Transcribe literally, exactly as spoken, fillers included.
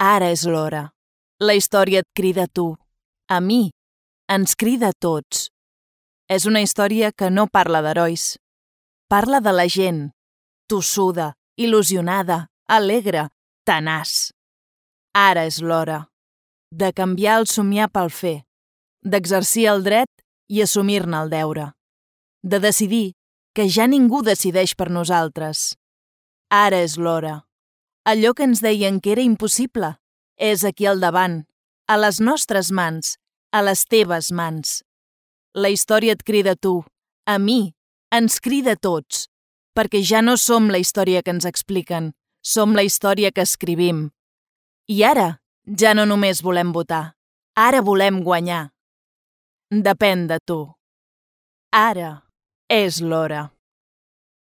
Ara és l'hora. La història et crida a tu, a mi, ens crida a tots. És una història que no parla d'herois. Parla de la gent, tossuda, il·lusionada, alegre, tenaç. Ara és l'hora de canviar el somiar pel fer, d'exercir el dret i assumir-ne el deure, de decidir que ja ningú decideix per nosaltres. Ara és l'hora. Allò que ens deien que era impossible és aquí al davant, a les nostres mans, a les teves mans. La història et crida a tu, a mi, ens crida a tots, perquè ja no som la història que ens expliquen, som la història que escrivim. I ara ja no només volem votar, ara volem guanyar. Depèn de tu. Ara és l'hora.